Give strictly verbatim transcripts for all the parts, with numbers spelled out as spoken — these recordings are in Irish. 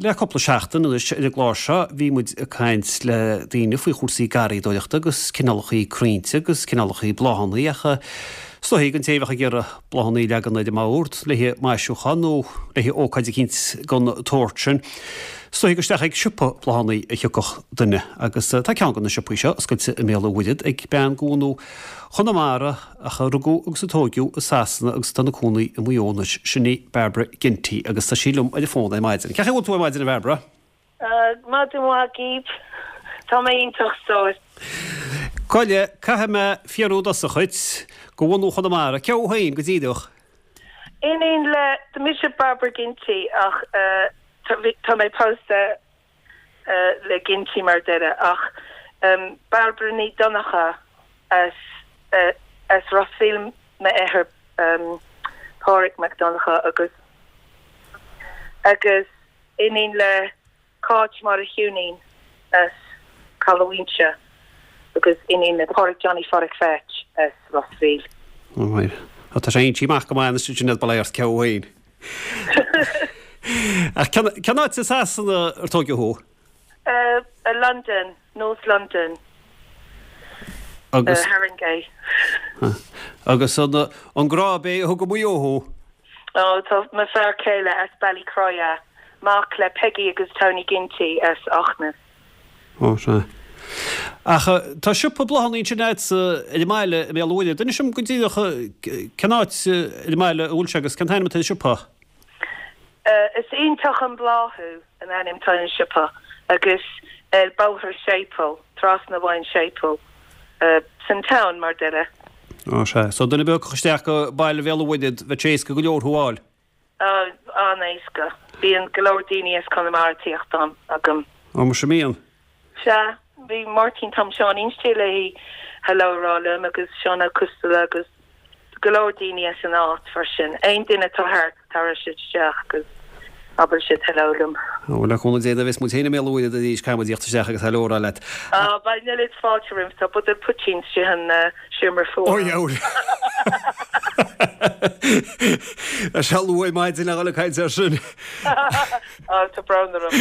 Le cúpla seachtain anois ar an gclár seo bhí muid ag caint le daoine faoi chúrsaí garraíodóireachta agus cineálacha crainnte agus cineálacha bláthanna ach is dóichí don té a bheadh ag iarraidh bláthanna a leagan ar an mbord le haghaidh maisiúchán nó le haghaidh ócáid eicínt den tsórt sin. Is dóichí gur isteach ag siopa bláthanna a thiocfadh duine agus tá ceann de na siopaí seo oscailte i mBéal an Mhuirthead ag bean de bhunadh Chonamara ach a rugadh agus a tóigeadh i Sasana agus atá ina cónaí i Maigh Eo anois, sin í Barbara Ginty agus tá sí liom ar an bhfón ar maidin. Cén chaoi a bhfuil tú ar maidin a Bharbara? Maidin mhaith dhaoibh. Tá mé iontach sórt. Gabh i leith, caithfidh mé fiafraí i dtosach dhuit, de bhunadh Chonamara, cé thú féin go díreach? Iníon le, tá mise Barbara Ginty ach tá mé pósta le Ginty mar deireadh ach Barbara Ní Dhonncha as as Ros Mhíl m'athair Pádraig Mac Donncha agus agus iníon le Cáit Máire Shiúinín as Caladh Mhaínse agus iníon le Pádraig Johnny Phádraig Pheait as Ros Mhíl. Right. Tá sé inti amach go maith sin bail ort cé thú féin. Ach cén áit i Sasana ar tógadh thú? Uh, London, North London. Agus uh, Haringey. Agus an an grá bé a thug go Maigh Eo thú? Oh, tá mo fear céile as Ballycroya, mac le Peggy agus Tony Ginty as Achnas. Ó sea. Ach tá siopa bláthanna ansin agat ar an mbaile i mBéal an Mhuirthead. Inis dom go díreach cén áit ar an mbaile a bhfuil sé agus cén t-ainm atá ar an siopa? Uh, is iontach an bláthú an ainm atá ar an siopa agus ar Bóthar Séipéil, trasna Abhainn Séipéil. Uh, san town mar deireadh. Ó sea, so duine beag isteach go baile Bhéal an Mhuirthead bheadh sé éasca go leor thú a fháil. Uh, an-éasca. Bíonn go leor daoine as Conamara ag tíocht ann agam. Ó mar sin mbíonn. Sea, bhí Máirtín Tom Seán inste léi hello rá liom agus Seán Ó Coisteala agus go leor daoine as an áit freisin. Aon duine atá thart tar siad isteach agus abair siad hello liom. Ó le cúnamh Dé nuair a bheas muid féin i mBéal an Mhuirthead arís caithfidh muid tíocht isteach agus hello a rá leat. Ah, beidh an oiread fáilte romhat, tá buidéal poitín istigh an seomra Ó fuar. dheabhail. Tá sé luath ar maidin le dhul ag caint air sin. Á, tá brón orm.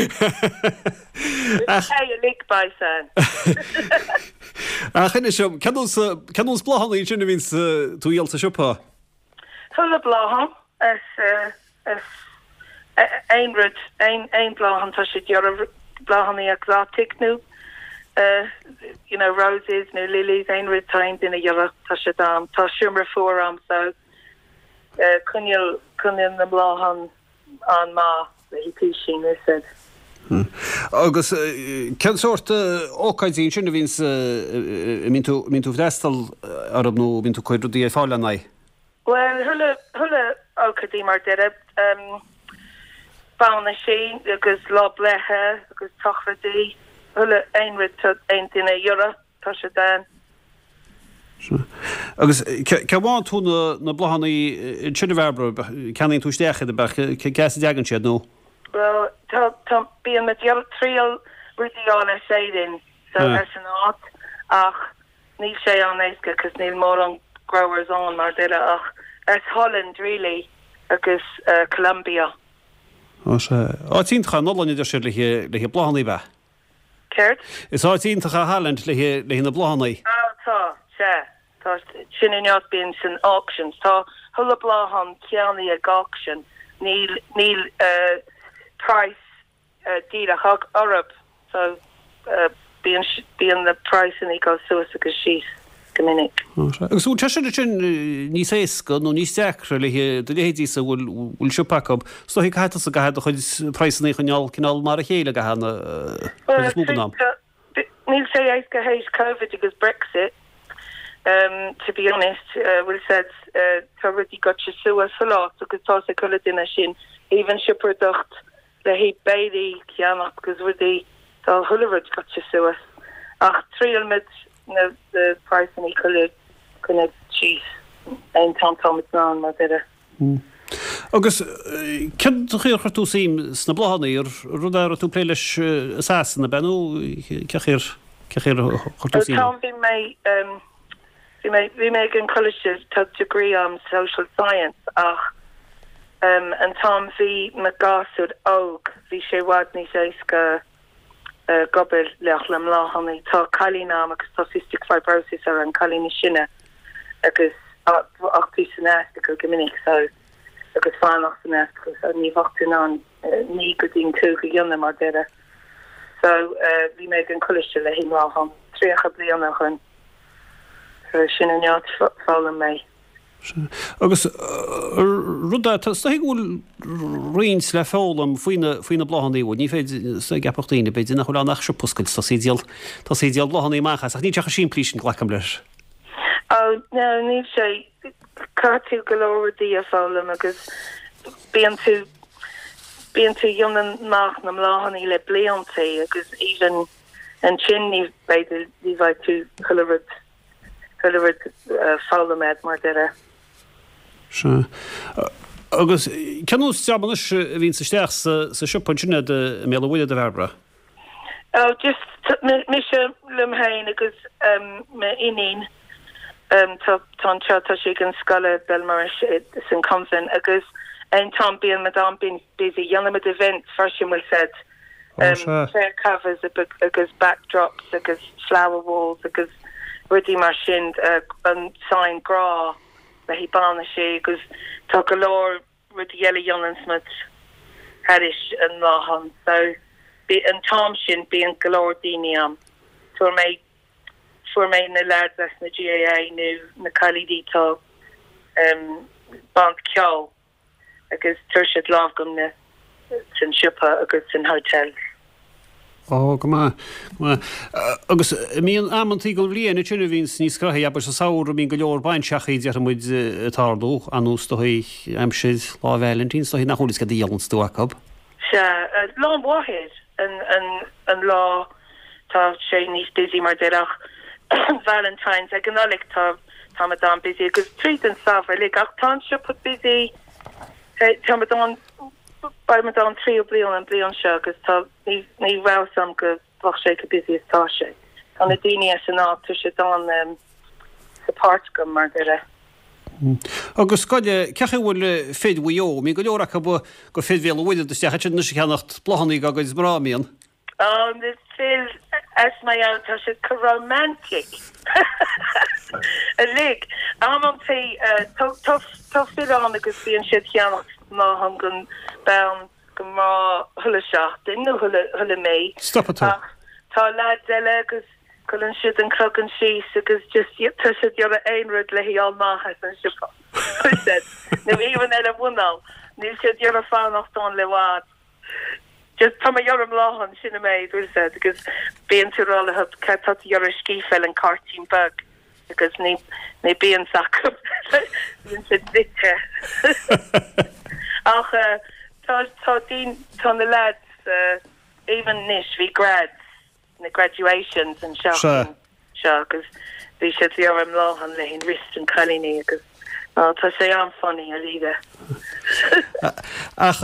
Ach Hey, uilig beidh san. Ach inis dom, cén nós cén nós bláthanna sin a bhíonn tú a dhíol sa siopa? Chuile bláthán is uh, is aon rud aon aon bláthán tá siad iarraidh bláthanna exotic nó uh, you know roses nó lilies aon rud tá aon duine iarraidh tá siad am tá seomra fuar am so uh, coinneáil coinneáil na bláthan an maith le písín is said. Agus cén sórt ócáidí sin a bhíonn mbíonn tú mbíonn tú freastal orthu nó bíonn tú ag cur rudaí ar fáil lena aghaidh? Well chuile chuile ócáidí mar deireadh um, bainisí agus lá breithe agus sochraidí chuile aon rud tá aon duine iarraidh tá siad ann. Agus cá bhfaigheann tú na na bláthanna sin a Bharbara ceannaíonn tú isteach iad ab ea cá as a dtagann siad nó? Well tá tá bíonn mé ag triail rudaí a fháil as Éirinn so Ah. as an áit ach níl sé an-éasca cos níl mórán growers ann mar deireadh ach as Holland really agus uh, Colombia. Ó sea. Áit iontach an Ollainn a deir siad le le bláthanna ab ea. Céard? Is áit iontach é Holland le le na bláthanna. Á tá sé tá sin in áit bíonn san auctions tá chuile bláthán ceannaithe ag auction níl níl uh, price uh, díreach ag orthu so uh, bíonn bíonn na price ag dul suas agus síos go minic. Agus bhfuil sé sin sin níos éasca nó níos deacra le do leithéidí sa bhfuil bhfuil siopa acu. So hi caithfidh tusa caithfidh do chuid praghsanna a choinneáil cineál mar a chéile go hana Well, is mó den am. Níl sé éasca théis COVID agus Brexit. Um, to be honest, uh, bhfuil said uh, tá rudaí gaibhte suas a lot agus tá sé chuile duine sin even siopadóireacht le haghaidh béilí ceannach agus rudaí tá chuile rud gaibhte suas ach triailimid na the price chuile chun síos aon t-am tá an mar deireadh. Agus cén chaoi ar chuir tú suim sna bláthanna ar rud a raibh tú ag plé leis i Sasana ab ea nó cén chaoi cén chaoi ar chuir tú suim? Tá bhí mé um, bhí mé bhí mé ag an college tá degree um social science ach Um, an t-am bhí mo gasúr óg, bhí sé i bhfad níos éasca uh, gobair leach le mbláthanna. Tá cailín agam agus tá cystic fibrosis ar an cailín is sine agus ach tú san ospidéal go minic so agus fanacht san ospidéal so ní bheadh tú in ann ní go dtín tú go dhéanamh mar deire. So uh, bhí mé an coiste le hí lá tríocha bliain ó shin so sin an áit foghlaim mé. Agus rud tá go bhfuil roinnt le foghlaim faoina faoina bláthanna ní féidir sa gceapfadh daoine b'fhéidir nach bhfuil nach siopa oscailte tá sí díol tá sí díol bláthanna amach as ach ní techa simplí sin glacaim leis. Oh no ní sé caithfidh tú go leor rudaí a foghlaim agus bíonn tú bíonn tú ionan nach na mbláthanna le blianta agus even ansin ní b'fhéidir ní bheidh tú chuile rud chuile rud uh, foghlaim mar deire. Se. Agus cén dreamanna a bhíonn isteach sa sa siopa sin i mBéal an Mhuirthead a Bhairbre? Oh just mise liom féin agus um, m'iníon um, tá tá tá tá sí an scoil Belmaris san convent agus an t-am bíonn muid an bíonn busy dhéanaimid event freisin bhfuil said um, chair covers agus backdrops agus flower walls agus rudaí mar sin uh, an sign grá le hí banna sé agus tá go leor rudaí eile dhéanann muid thairis an bhláthan so bí an t-am sin bíonn go leor daoine am fuair mé fuair mé na lads as na GAA nó na cailíní tá um, band ceol agus tuir siad lámh gom na san siopa agus san hotel. Ó go maith agus mbíonn amantaí den bhliain sin a bhíonn níos gnoithí aber sa samhradh bíonn go leor bainseachaí deir muid tarlú anús do aimsir lá Vailintín so nach bhfuil go díolann tú acu. Se Lá Máthar an, an, an lá tá sé níos busy mar deach Valentine's ag an Nollaig tá tá an busy agus tríd an samhradh le ach tá siopa busy tá an ba an trí blian an blian seo agus tá ní ní raibh am go bheadh sé go busy is tá sé. Tá na daoine as an áit sé an um, support go mar deire. Agus scoile cecha bhfuil fir Mhaigh Eo, mbíonn go leor acu go fir Bhéal an Mhuirthead isteach sin na ceannacht bláthanna agus mná mbíonn. Oh, the fir as Maigh Eo tá sé go romantic. Uilig am an tá fir ann agus bíonn siad ceannacht ná han gon bean go má chuile seachtain nó chuile mí. Stop tá. Tá leaid eile agus cuireann siad an cloigeann síos agus just tá siad iarraidh aon rud le hí maith as an siopa. Nu even eile bhunal, níl siad iarraidh fanacht ann le bhfad. Just tá mé iarraidh bláthan sin mé dúil agus bíonn tú rá ce tá iarraidh scífeil an cairdín beag agus ní ní bíonn acu bíonn siad bite. Ach uh, tá tá tá na lads uh, even anois bhí grads na graduations an seo seo agus bhí siad ar an mbláthan le hin wrist an cailíní agus oh, tá sé an-funny a líde. Ach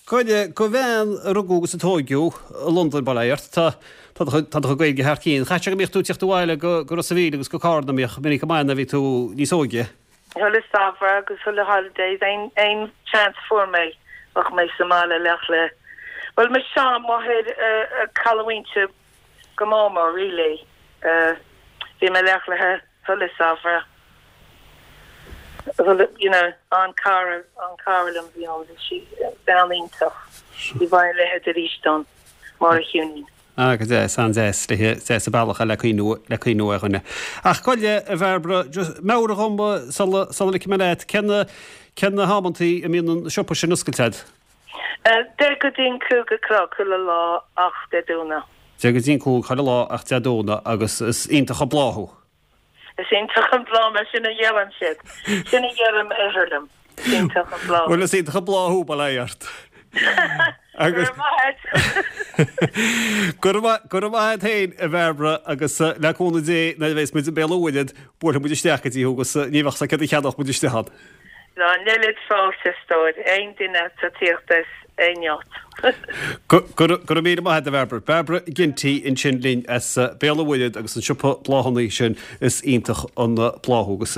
Goide go bhean rugadh agus a tógadh Londain bailert tá tá go Gaeilge thar cinn. Cha go mbíodh tú teacht abhaile go go Ros an Mhíl agus go Carna míoch mini go maith a bhí tú níos óige. Chuile samhradh agus chuile holidays aon aon chance fuair mé bheadh mé sa mbaile leach le. Well me sean máthair caillte go mór really. Bhí mé leach le chuile samhradh. Well, you know, an cara an cara liom bhí an sí bean iontach. Bhí bhain le arís don mar a chiúní. Ah go deas an deas le deas a bealach le cuimhniú le cuimhniú ar dhuine. Ach goile a Bhairbre meabhraigh dhom sula sula ligfidh mé leat cén cén na hamantaí a mbíonn an siopa sin oscailte. Deich go dtí cúig a chlog chuile lá ach Dé Domhnaigh. Deich go dtí cúig chuile lá ach Dé Domhnaigh agus is iontach an bláth thú. Is iontach an bláth mar sin a dhéanann siad. Sin a dhéanam élam. Iontach an bláth. Well is iontach an bláth thú bail ort. Agus Go raibh maith féin a Bhairbre agus le cúnamh Dé nuair a bheas muid i mBéal an Mhuirthead buailfidh muid isteach go dtí agus ní bheadh sa cad a cheannach muid isteach ann. Ná níl fáilte stór aon duine tá tíocht aon áit. Go raibh míle maith a Bhairbre. Bairbre Ginty ansin linn as Béal an Mhuirthead agus an siopa bláthanna sin is iontach an bláth thú agus